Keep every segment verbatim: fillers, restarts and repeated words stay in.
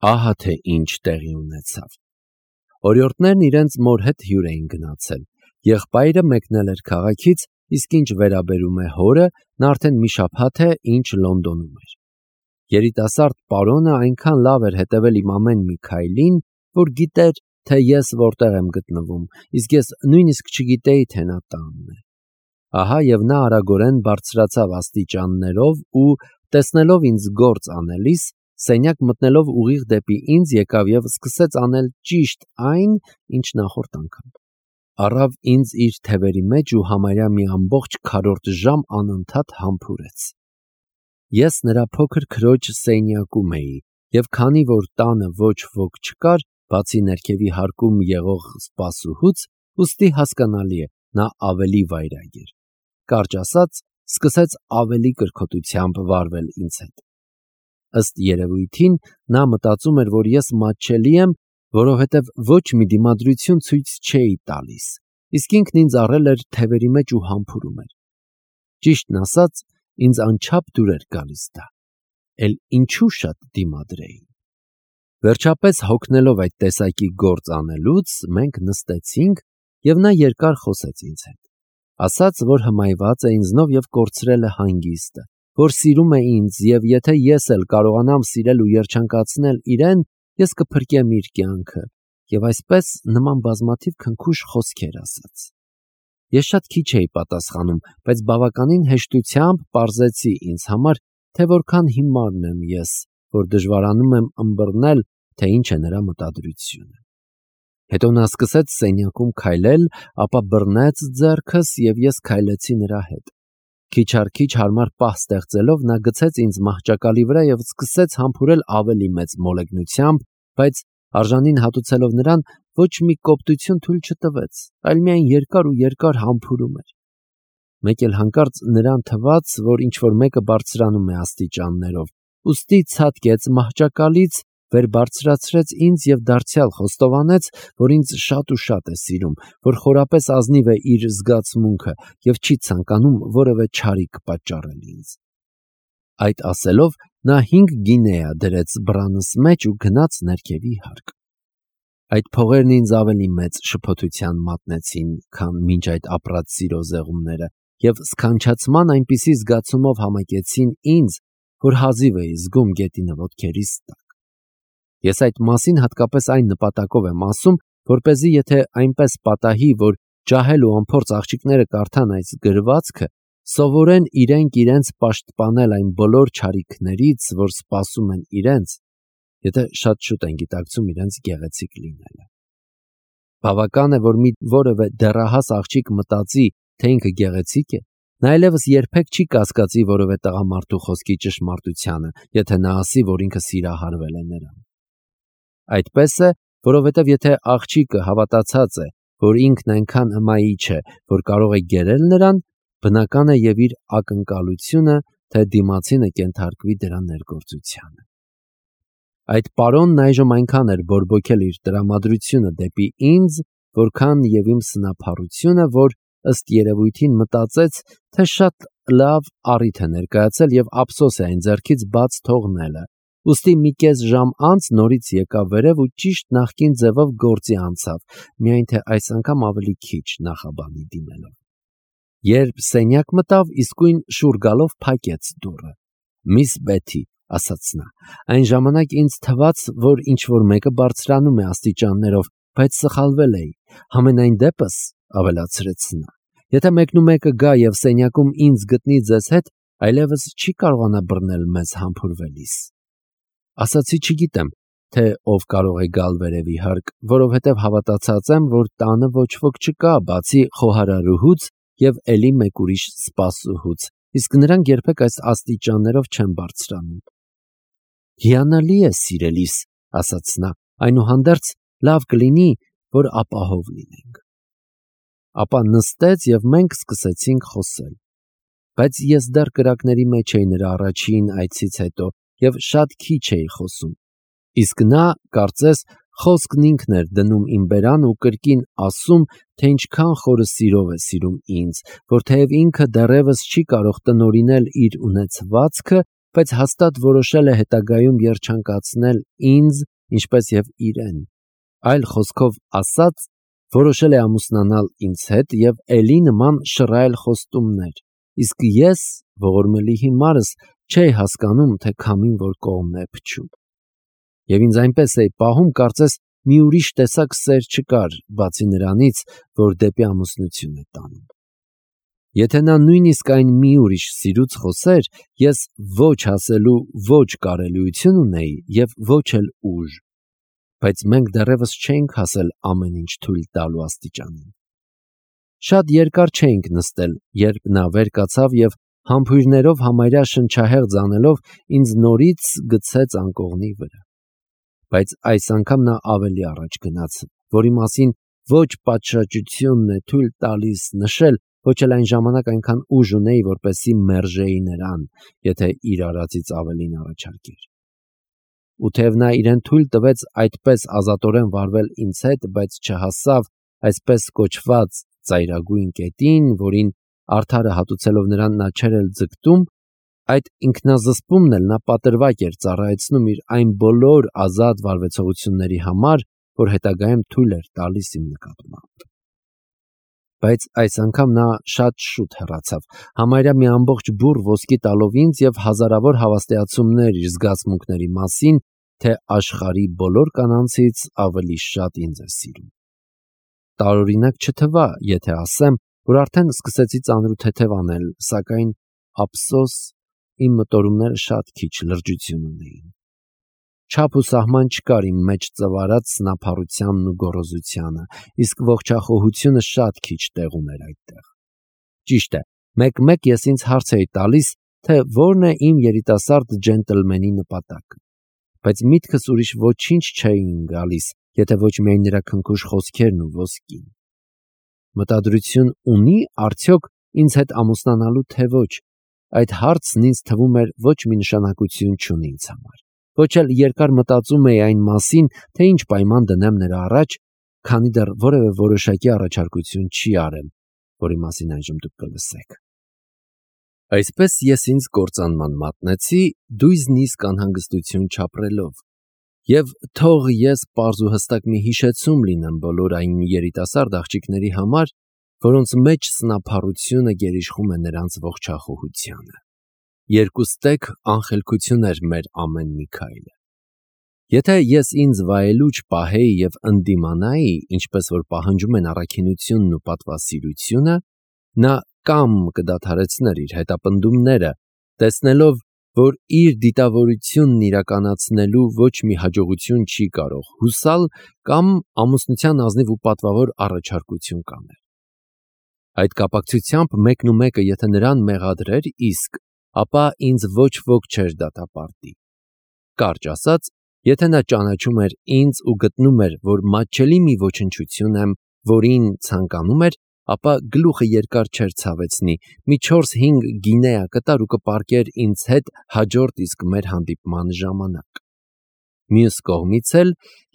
Ահա թե ինչ տեղի ունեցավ։ Օրիորդներն իրենց մոր հետ հյուր էին գնացել։ Եղբայրը մեկնել էր քաղաքից, իսկ ինչ վերաբերում է հորը, նա արդեն մի շաբաթ է ինչ Լոնդոնում էր։ Երիտասարդ պարոնը այնքան լավ էր հետևել իմ ամեն մի քայլին, որ գիտեր, թե ես որտեղ եմ գտնվում, իսկ ես նույնիսկ չգիտեի, թե նա տանն է։ Ահա եւ նա արագորեն բարձրացավ աստիճաններով ու, տեսնելով ինձ գործ անելիս, սենյակ մտնելով ուղիղ դեպի ինձ եկավ եւ սկսեց անել ճիշտ այն, ինչ նախորդ անգամ։ Առավ ինձ իր թևերի մեջ ու համարյա մի ամբողջ քառորդ ժամ անընդհատ համբուրեց։ Ես նրա փոքր քրոջ սենյակում էի եւ քանի որ տանը ոչ ոք չկար, բացի ներքևի հարկում եղող սպասուհուց, ուստի հասկանալի է, նա ավելի վայրագ էր։ Կարճ ասած, սկսեց ավելի կրքոտությամբ վարվել ինձ հետ։ Ըստ երևույթին, նա մտածում էր, որ ես մատչելի եմ, որովհետև ոչ մի դիմադրություն ցույց չէի տալիս, իսկ ինքն ինձ առել էր թևերի մեջ ու համբուրում էր։ Ճիշտն ասած, ինձ անչափ դուր էր գալիս դա, էլ ինչու շատ դիմադրեի։ Վերջապես հոգնելով այդ տեսակի գործ անելուց, մենք նստեցինք, եւ նա երկար խոսեց ինձ հետ։ Ասաց, որ հմայված է ինձնով եւ կորցրել է հանգիստը, որ սիրում է ինձ եւ եթե ես էլ կարողանամ սիրել ու երջանկացնել իրեն, ես կփրկեմ իր կյանքը, եւ այսպես նման բազմաթիվ քնքուշ խոսքեր ասաց։ Ես շատ քիչ էի պատասխանում, բայց բավականին հեշտությամբ պարզեցի ինձ համար, թե որքան հիմարն եմ ես, որ դժվարանում եմ ըմբռնել, թե ինչ է նրա մտադրությունը։ Հետո նա սկսեց սենյակում քայլել, ապա բռնեց ձեռքս եւ ես քայլեցի նրա հետ։ Քիչ առ քիչ հարմար պահ ստեղծելով նա գցեց ինձ մահճակալի վրա եւ սկսեց համբուրել ավելի մեծ մոլեգնությամբ, բայց արժանին հատուցելով նրան, ոչ մի կոպտություն թույլ չտվեց, այլ միայն երկար ու երկար համբուրում էր։ Մեկ էլ հանկարծ նրան թվաց, որ ինչ-որ մեկը բարձրանում է աստիճաններով, ուստի ցատկեց մահճակալից, վեր բարձրացրեց ինձ եւ դարձյալ խոստովանեց, որ ինձ շատ ու շատ է սիրում, որ խորապես ազնիվ է իր զգացմունքը եւ չի ցանկանում որևէ չարիք պատճառել ինձ։ Այդ ասելով նա հինգ գինեա դրեց բռանս մեջ ու գնաց ներքևի հարկ։ Այդ փողերն ինձ ավելի մեծ շփոթության մատնեցին, քան մինչ այդ ապրած սիրո զեղումները եւ սքանչացման այնպիսի զգացումով համակեցին ինձ, որ հազիվ էի զգում գետինը ոտքերիս տակ։ Ես այդ մասին հատկապես այն նպատակով եմ ասում, որպեսզի եթե այնպես պատահի, որ ջահել ու անփորձ աղջիկները կարդան այս գրվածքը, սովորեն իրենք իրենց պաշտպանել այն բոլոր չարիքներից, որ սպասում են իրենց, եթե շատ շուտ են գիտակցում իրենց գեղեցիկ լինելը։ Բավական է, որ մի որևէ դեռահաս աղջիկ մտածի, թե ինքը գեղեցիկ է, նա այլևս երբեք չի կասկածի որևէ տղամարդու խոսքի ճշմարտությանը, եթե նա ասի, որ ինքը սիրահարվել է նրան։ Այդպես է, որովհետև եթե աղջիկը հավատացած է, որ ինքն այնքան հմայիչ է, որ կարող է գերել նրան, բնական է եւ իր ակնկալությունը, թե դիմացինը կենթարկվի դրա ներգործությանը։ Այդ պարոնն այժմ այնքան էր բորբոքել իր տրամադրությունը դեպի ինձ, որքան եւ իմ սնափառությունը, որ ըստ երևույթին մտածեց, թե շատ լավ առիթ է ներկայացել եւ ափսոս է այն ձեռքից բաց թողնելը։ Ուստի մի կես ժամ անց նորից եկավ վերև ու ճիշտ նախկին ձևով գործի անցավ, միայն թե այս անգամ ավելի քիչ նախաբանի դիմելով։ Երբ սենյակ մտավ, իսկույն շուռ գալով փակեց դուռը։ «Միս Բեթի», ասաց նա, այն ժամանակ ինձ թվաց, որ ինչ-որ մեկը բարձրանում է աստիճաններով, բայց սխալվել էի։ Համենայն դեպս, ավելացրեց նա, եթե մեկնումեկը գա եւ սենյակում ինձ գտնի ձեզ հետ, այլևս չի կարողանա բռնել մեզ համբուրվելիս։ Ասացի չգիտեմ, թե ով կարող է գալ վերևի հարկ, որովհետև հավատացած եմ, որ տանը ոչ ոք չկա, բացի խոհարարուհուց եւ էլի մեկ ուրիշ սպասուհուց, իսկ նրանք երբեք այս աստիճաններով չեն բարձրանում։ Հիանալի է, սիրելիս, ասաց նա, այնուհանդերձ լավ կլինի, որ ապահով լինենք։ Ապա նստեց եւ մենք սկսեցինք խոսել։ Բայց ես դեռ կրակների մեջ էի նրա առաջին այցից հետո եւ շատ քիչ էի խոսում։ Իսկ նա, կարծես, խոսքն ինքն էր դնում իմ բերան ու կրկին ասում, թե ինչքան խորը սիրով է սիրում ինձ, որ թեև ինքը դեռևս չի կարող տնօրինել իր ունեցվածքը, բայց հաստատ որոշել է հետագայում երջանկացնել ինձ ինչպես եւ իրեն։ Այլ խոսքով ասած, որոշել է ամուսնանալ ինձ հետ եւ էլի նման շռայլ խոստումներ, իսկ ես, ողորմելի հիմարս, չէի հասկանում, թե քամին որ կողմն է փչում։ Եվ ինձ այնպես էի պահում, կարծես մի ուրիշ տեսակ սեր չկար, բացի նրանից, որ դեպի ամուսնություն է տանում։ Եթե նա նույնիսկ այն մի ուրիշ սիրուց խոսեր, ես ոչ ասելու ոչ կարելիություն ունեի եւ ոչ էլ ուժ, բայց մենք դեռևս չէինք հասել ամեն ինչ թույլ տալու աստիճանին։ Շատ երկար չէինք նստել, երբ նա վեր կացավ եւ համբույրներով համարյա շնչահեղձ անելով ինձ նորից գցեց անկողնի վրա։ Բայց այս անգամ նա ավելի առաջ գնաց, որի մասին ոչ պատշաճությունն է թույլ տալիս նշել, ոչ էլ այն ժամանակ այնքան ուժ ունեի, որպեսզի մերժեի նրան, եթե իր արածից ավելին առաջարկեր։ Ու թեև նա իրեն թույլ տվեց այդպես ազատորեն վարվել ինձ հետ, բայց չհասավ այսպես կոչված ծայրագույն կետին, որին արդարը հատուցելով նրան նա չէր էլ ձգտում, այդ ինքնազսպումն էլ նա պատրվակ էր ծառայեցնում իր այն բոլոր ազատ վարվեցողությունների համար, որ հետագայում թույլ էր տալիս իմ նկատմամբ։ Բայց այս անգամ նա շատ շուտ հեռացավ, համարյա մի ամբողջ բուռ ոսկի տալով ինձ եւ հազարավոր հավաստիացումներ իր զգացմունքների մասին, թե աշխարհի բոլոր կանանցից ավելի շատ ինձ է սիրում։ Տարօրինակ չթվա, եթե ասեմ, որ արդեն սկսեցի ծանրութեթև անել, սակայն ափսոս իմ մտորումները շատ քիչ լրջություն ունեին։ Չափ ու սահման չկար իմ մեջ ծվարած սնափառությանն ու գոռոզությանը, իսկ ողջախոհությունը շատ քիչ տեղ ուներ այդտեղ։ Ճիշտ է, մեկ-մեկ ես ինձ հարց էի տալիս, թե որն է իմ երիտասարդ ջենտլմենի նպատակը, բայց միտքս ուրիշ ոչինչ չէին գալիս, եթե ոչ միայն նրա քնքուշ խոսքերն ու ոսկին։ Մտադրություն ունի արդյոք ինձ հետ ամուսնանալու թե ոչ, այդ հարցն ինձ թվում էր ոչ մի նշանակություն չունի ինձ համար։ Ոչ էլ երկար մտածում էի այն մասին, թե ինչ պայման դնեմ նրա առաջ, քանի դեռ որևէ որոշակի առաջարկություն չի արել, որի մասին այժմ դուք կլսեք։ Այսպես ես ինձ կործանման մատնեցի, դույզն իսկ անհանգստություն չապրելով, եւ թող ես պարզ ու հստակ մի հիշեցում լինեմ բոլոր այն երիտասարդ աղջիկների համար, որոնց մեջ սնափառությունը գերիշխում է նրանց ողջախոհությանը։ Երկուստեք անխելքություն էր մեր ամեն մի քայլը։ Եթե ես ինձ վայելուչ պահեի եւ ընդդիմանայի, ինչպես որ պահանջում են առաքինությունն ու պատվասիրությունը, նա կամ կդադարեցներ իր հետապնդումները, տեսնելով, որ իր դիտավորությունն իրականացնելու ոչ մի հաջողություն չի կարող հուսալ, կամ ամուսնության ազնիվ ու պատվավոր առաջարկություն կաներ։ Այդ կապակցությամբ մեկն ու մեկը եթե նրան մեղադրեր իսկ, ապա ինձ ոչ ոք չէր դատապարտի։ Կարճ ասած, եթե նա ճանաչում էր ինձ ու գտնում էր, որ մատչելի մի ոչնչություն եմ, որին ցանկանում էր, ապա գլուխը երկար չէր ցավեցնի, մի չորս-հինգ գինեա կտար ու կպարկեր ինձ հետ հաջորդ իսկ մեր հանդիպման ժամանակ։ Մյուս կողմից էլ,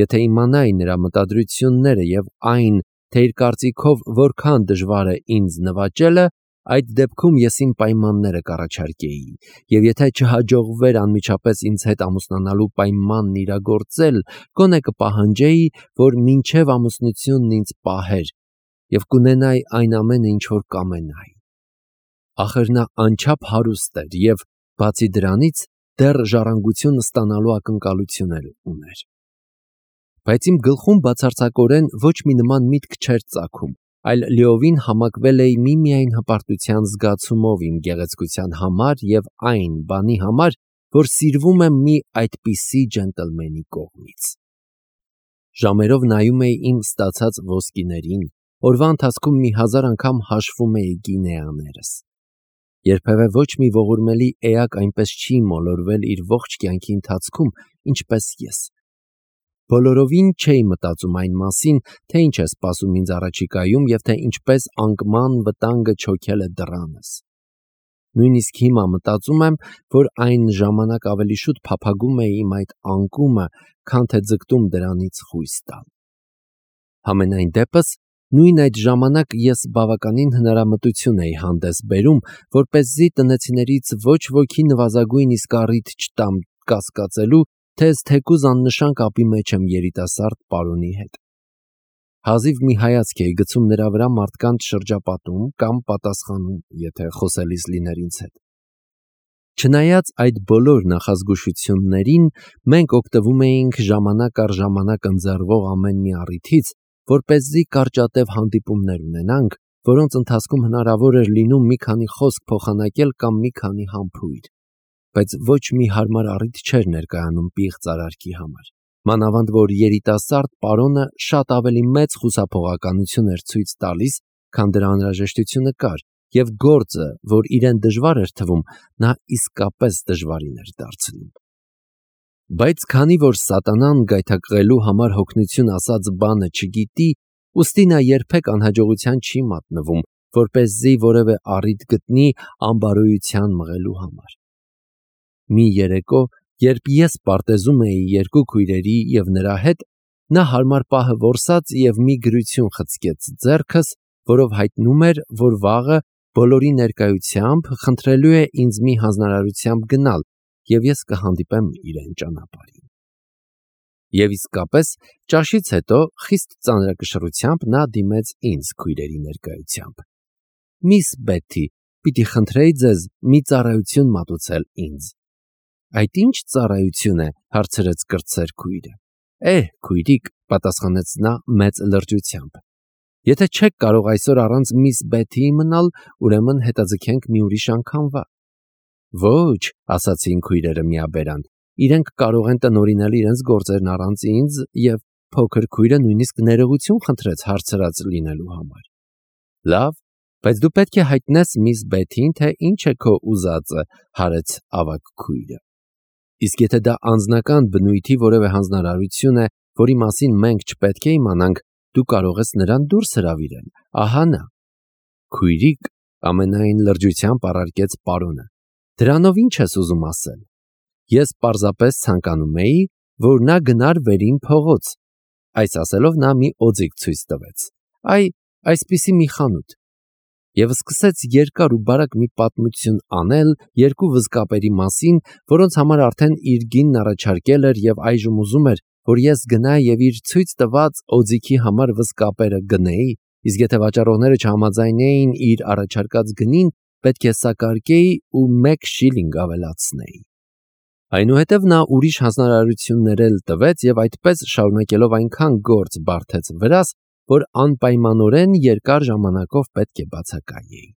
եթե իմանայի նրա մտադրությունները եւ այն, թե իր կարծիքով որքան դժվար է ինձ նվաճելը, այդ դեպքում ես իմ պայմանները կառաջարկեի, եւ եթե չհաջողվեր անմիջապես ինձ հետ ամուսնանալու պայմանն իրագործել, գոնե կպահանջեի, որ մինչև ամուսնությունն ինձ պահեր, եւ կունենայի այն ամենը, ինչ որ կամենայի։ Ախր նա անչափ հարուստ էր եւ, բացի դրանից, դեռ ժառանգություն ստանալու ակնկալություն էլ ուներ։ Բայց իմ գլխում բացարձակորեն ոչ մի նման միտք չէր ծագում, այլ լիովին համակվել էի միմիայն հպարտության զգացումով իմ գեղեցկության համար եւ այն բանի համար, որ սիրվում եմ մի այդպիսի ջենտլմենի կողմից։ Ժամերով նայում էի իմ ստացած ոսկիներին, օրվա ընթացքում մի հազար անգամ հաշվում էի գինեաներս։ Երբևէ ոչ մի ողորմելի էակ այնպես չի մոլորվել իր ողջ կյանքի ընթացքում, ինչպես ես։ Բոլորովին չէի մտածում այն մասին, թե ինչ է սպասում ինձ առաջիկայում եւ թե ինչպես անկման վտանգը չոքել է դռանս։ Նույնիսկ հիմա մտածում եմ, որ այն ժամանակ ավելի շուտ փափագում էի իմ այդ անկումը, քան թե ձգտում դրանից խույս տալ։ Համենայն դեպս, նույն այդ ժամանակ ես բավականին հնարամտություն էի հանդես բերում, որպեսզի տնեցիներից ոչ ոքի նվազագույն իսկ առիթ չտամ կասկածելու, թեզ թեկուզ աննշան կապի մեջ եմ երիտասարդ պարոնի հետ։ Հազիվ մի հայացք էի գցում նրա վրա մարդկանց շրջապատում կամ պատասխանում, եթե խոսելիս լիներ ինձ հետ։ Չնայած այդ բոլոր նախազգուշություններին, մենք օգտվում էինք ժամանակ առ ժամանակ ընձեռվող ամեն մի առիթից, որպեսզի կարճատև հանդիպումներ ունենանք, որոնց ընթացքում հնարավոր էր լինում մի քանի խոսք փոխանակել կամ մի քանի համբույր, բայց ոչ մի հարմար առիթ չէր ներկայանում պիղծ արարքի համար։ Մանավանդ որ երիտասարդ պարոնը շատ ավելի մեծ խուսափողականություն էր ցույց տալիս, քան դրա անհրաժեշտությունը կար, եւ գործը, որ իրեն դժվար էր թվում, նա իսկապես դժվարին էր դարձնում։ Բայց քանի որ սատանան գայթակղելու համար հոգնություն ասած բանը չգիտի, ուստի նա երբեք անհաջողության չի մատնվում, որպեսզի որևէ առիթ գտնի անբարոյության մղելու համար։ Մի երեկո, երբ ես պարտեզում էի երկու քույրերի և նրա հետ, նա հարմար պահը որսաց և մի գրություն խցկեց ձեռքս, որով հայտնում էր, որ վաղը բոլորի ներկայությամբ խնդրելու է ինձ մի հանձնարարությամբ գնալ, և ես կհանդիպեմ իրեն ճանապարհին։ Եվ իսկապես, ճաշից հետո խիստ ծանրակշռությամբ նա դիմեց ինձ քույրերի ներկայությամբ։ Միս Բեթի, պիտի խնդրեի ձեզ մի ծառայություն մատուցել ինձ։ Այդ ինչ ծառայություն է, հարցրեց կրտսեր քույրը։ Է, քույրիկ, պատասխանեց նա մեծ լրջությամբ։ Եթե չեք կարող այսօր առանց միս Բեթիի մնալ, ուրեմն հետաձգենք մի ուրիշ անգամվա։ Ոչ, ասացին քույրերը միաբերան, իրենք կարող են տնօրինել իրենց գործերն առանց ինձ, և փոքր քույրը նույնիսկ ներողություն խնդրեց հարցրած լինելու համար։ Լավ, բայց դու պետք է հայտնես միս Բեթին, թե ինչ է քո ուզածը, հարեց ավագ քույրը։ Իսկ եթե դա անձնական բնույթի որևէ հանձնարարություն է, որի մասին մենք չպետք է իմանանք, դու կարող ես նրան դուրս հրավիրել, ահա նա։ Քույրիկ, ամենայն լրջությամբ առարկեց պարոնը, դրանով ինչ ես ուզում ասել։ Ես պարզապես ցանկանում էի, որ նա գնար վերին փողոց։ Այս ասելով նա մի օձիք ցույց տվեց։ Այ, այսպիսի մի խանութ։ Եվ սկսեց երկար ու բարակ մի պատմություն անել երկու վզկապերի մասին, որոնց համար արդեն իր գինն առաջարկել էր և այժմ ուզում էր, որ ես գնայի և իր ցույց տված օձիքի համար վզկապերը գնեի, իսկ եթե վաճառողները չհամաձայնեին իր առաջարկած գնին, պետք է սակարկեի ու մեկ շիլինգ ավելացնեի։ Այնուհետև նա ուրիշ հանձնարարություններ էլ տվեց և այդպես շարունակելով այնքան գործ բարդեց վրաս, որ անպայմանորեն երկար ժամանակով պետք է բացակայեի։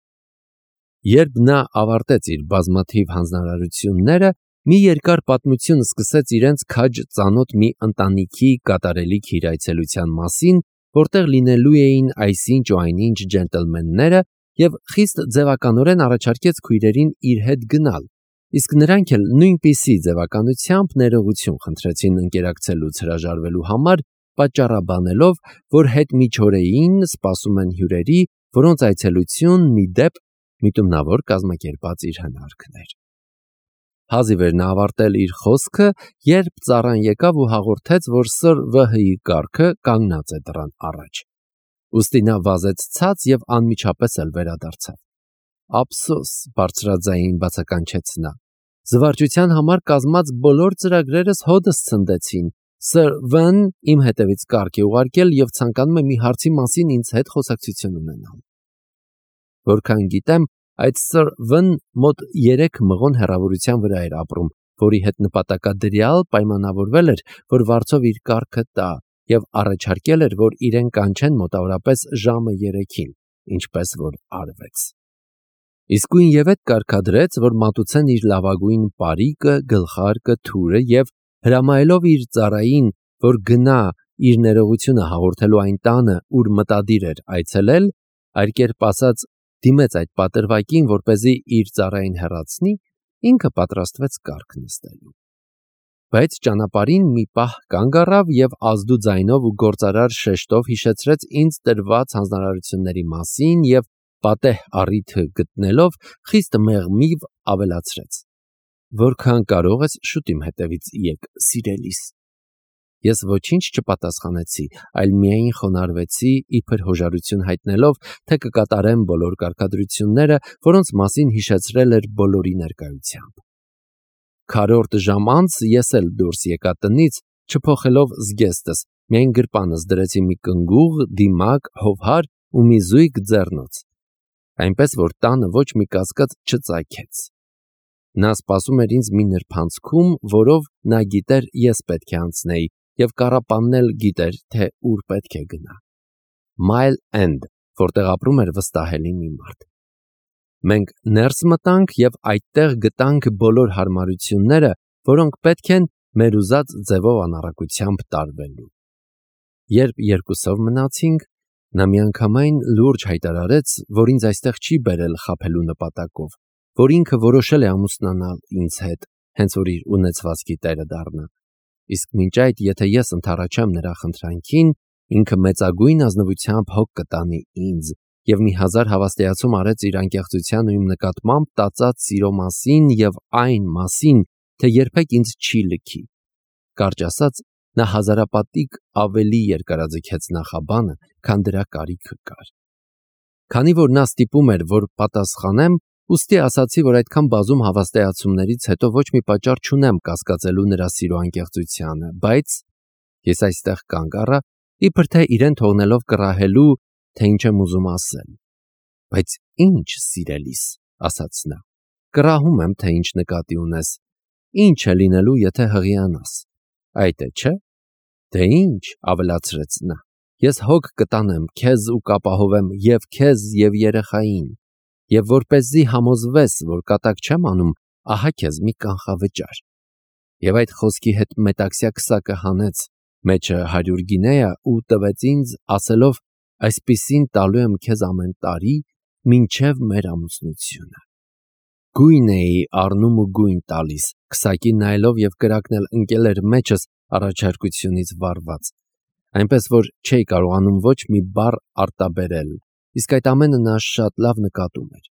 Երբ նա ավարտեց իր բազմաթիվ հանձնարարությունները, մի երկար պատմություն սկսեց իրենց քաջ ծանոթ մի ընտանիքի կատարելիք իր այցելության մասին, որտեղ լինելու էին այսինչ ու այնինչ ջենտլմենները, և խիստ ձևականորեն առաջարկեց քույրերին իր հետ գնալ, իսկ նրանք էլ նույնպիսի ձևականությամբ ներողություն խնդրեցին ընկերակցելուց հրաժարվելու համար, պատճառաբանելով, որ հետմիջօրեին սպասում են հյուրերի, որոնց այցելությունն ի դեպ միտումնավոր կազմակերպած իր հնարքն էր։ Հազիվ էր նա ավարտել իր խոսքը, երբ ծառան եկավ ու հաղորդեց, որ սըր Վհ-ի կառքը կանգնած է դռան առաջ։ Ուստի նա վազեց ցած և անմիջապես էլ վերադարձավ։ Ափսոս, բարձրաձայն բացականչեց նա։ Զվարճության համար կազմած բոլոր ծրագրերս հօդս ցնդեցին։ Սըր Վն իմ հետևից կառք է ուղարկել և ցանկանում է մի հարցի մասին ինձ հետ խոսակցություն ունենալ։ Որքան գիտեմ, այդ սըր Վն մոտ երեք մղոն հեռավորության վրա էր ապրում, որի հետ նպատակադրյալ պայմանավորվել էր, որ վարձով իր կառքը տա, և առաջարկել էր, որ իրեն կանչեն մոտավորապես ժամը երեքին, ինչպես որ արվեց։ Իսկույնևեթ կարգադրեց, որ մատուցեն իր լավագույն պարիկը, գլխարկը, թուրը և հրամայելով իր ծառային, որ գնա իր ներողությունը հաղորդելու այն տանը, ուր մտադիր էր այցելել, այլ կերպ ասած, դիմեց այդ պատրվակին, որպեսզի իր ծառային հեռացնի, ինքը պատրաստվեց կառք նստելու։ Բայց ճանապարհին մի պահ կանգ առավ և ազդու ձայնով ու գործարար շեշտով հիշեցրեց ինձ տրված հանձնարարությունների մասին և պատեհ առիթը գտնելով խիստ մեղմիվ ավելացրեց. Որքան կարող ես շուտ իմ հետևից եկ, սիրելիս։ Ես ոչինչ չպատասխանեցի, այլ միայն խոնարհվեցի, իբր հոժարություն հայտնելով, թե կկատարեմ բոլոր կարգադրությունները, որոնց մասին հիշեցրել էր բոլորի ներկայությամբ։ քառորդ ժամ անց ես էլ դուրս եկա տնից, չփոխելով զգեստս, միայն գրպանս դրեցի մի կնգուղ, դիմակ, հովհար ու մի զույգ ձեռնոց, այնպես որ տանը ոչ մի կասկած չծագեց։ Նա սպասում էր ինձ մի նրբանցքում, որով նա գիտեր ես պետք է անցնեի, և կառապանն էլ գիտեր, թե ուր պետք է գնա։ Mile End, որտեղ ապրում էր վստահելի մի մարդ։ Մենք ներս մտանք և այդտեղ գտանք բոլոր հարմարությունները, որոնք պետք են մեր ուզած ձևով անառակությամբ տարվելու։ Երբ երկուսով մնացինք, նա միանգամայն լուրջ հայտարարեց, որ ինձ այստեղ չի բերել խաբելու նպատակով, որ ինքը որոշել է ամուսնանալ ինձ հետ, հենց որ իր ունեցվածքի տերը դառնա։ Իսկ մինչ այդ, եթե ես ընդառաջեմ նրա խնդրանքին, ինքը մեծագույն ազնվությամբ հոգ կտանի ինձ և մի հազար հավաստիացում արեց իր անկեղծության ու իմ նկատմամբ տածած սիրո մասին և այն մասին, թե երբեք ինձ չի լքի։ Կարճ ասած, նա հազարապատիկ ավելի երկարաձգեց նախաբանը, քան դրա կարիքը կար։ Քանի որ նա ստիպում էր, որ պատասխանեմ, ուստի ասացի, որ այդքան բազում հավաստիացումներից հետո ոչ մի պատճառ չունեմ կասկածելու նրա սիրո անկեղծությանը, բայց ես այստեղ կանգ առա, իբր թե իրեն թողնելով կռահելու, թե ինչ եմ ուզում ասել։ Բայց ինչ, սիրելիս, ասաց նա, կռահում եմ, թե ինչ նկատի ունես, ինչ է լինելու, եթե հղիանաս։ Այդ է, չէ՞։ Դե ինչ, ավելացրեց նա, ես հոգ կտանեմ քեզ ու կապահովեմ և քեզ և երեխային, և որպեսզի համոզվես, որ կատակ չեմ անում, ահա քեզ մի կանխավճար։ Եվ այդ խոսքի հետ մետաքսյա քսակը հանեց մեջը հարյուր գինեա ու տվեց ինձ, ասելով, այսպիսին տալու եմ քեզ ամեն տարի, մինչև մեր ամուսնությունը։ Գույն էի առնում ու գույն տալիս, քսակին նայելով և կրակն էլ ընկել էր մեջս առաջարկությունից վարված, այնպես որ չէի կարողանում ոչ մի բառ արտաբերել, իսկ այդ ամենը նա շատ լավ նկատում էր։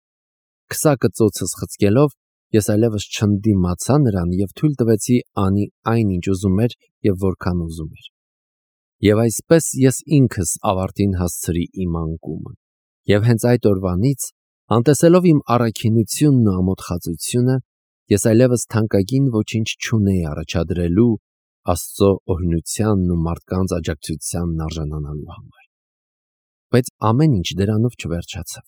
Քսակը ծոցս խցկելով, ես այլևս չընդդիմացա նրան և թույլ տվեցի անի այն, ինչ ուզում էր և որքան ուզում էր։ Եվ այսպես ես ինքս ավարտին հասցրի իմ անկումը, և հենց այդ օրվանից, անտեսելով իմ առաքինությունն ու ամոթխածությունը, ես այլևս թանկագին ոչինչ չունեի առաջադրելու Աստծո օրհնությանն ու մարդկանց աջակցությանն արժանանալու համար։ Բայց ամեն ինչ դրանով չվերջացավ։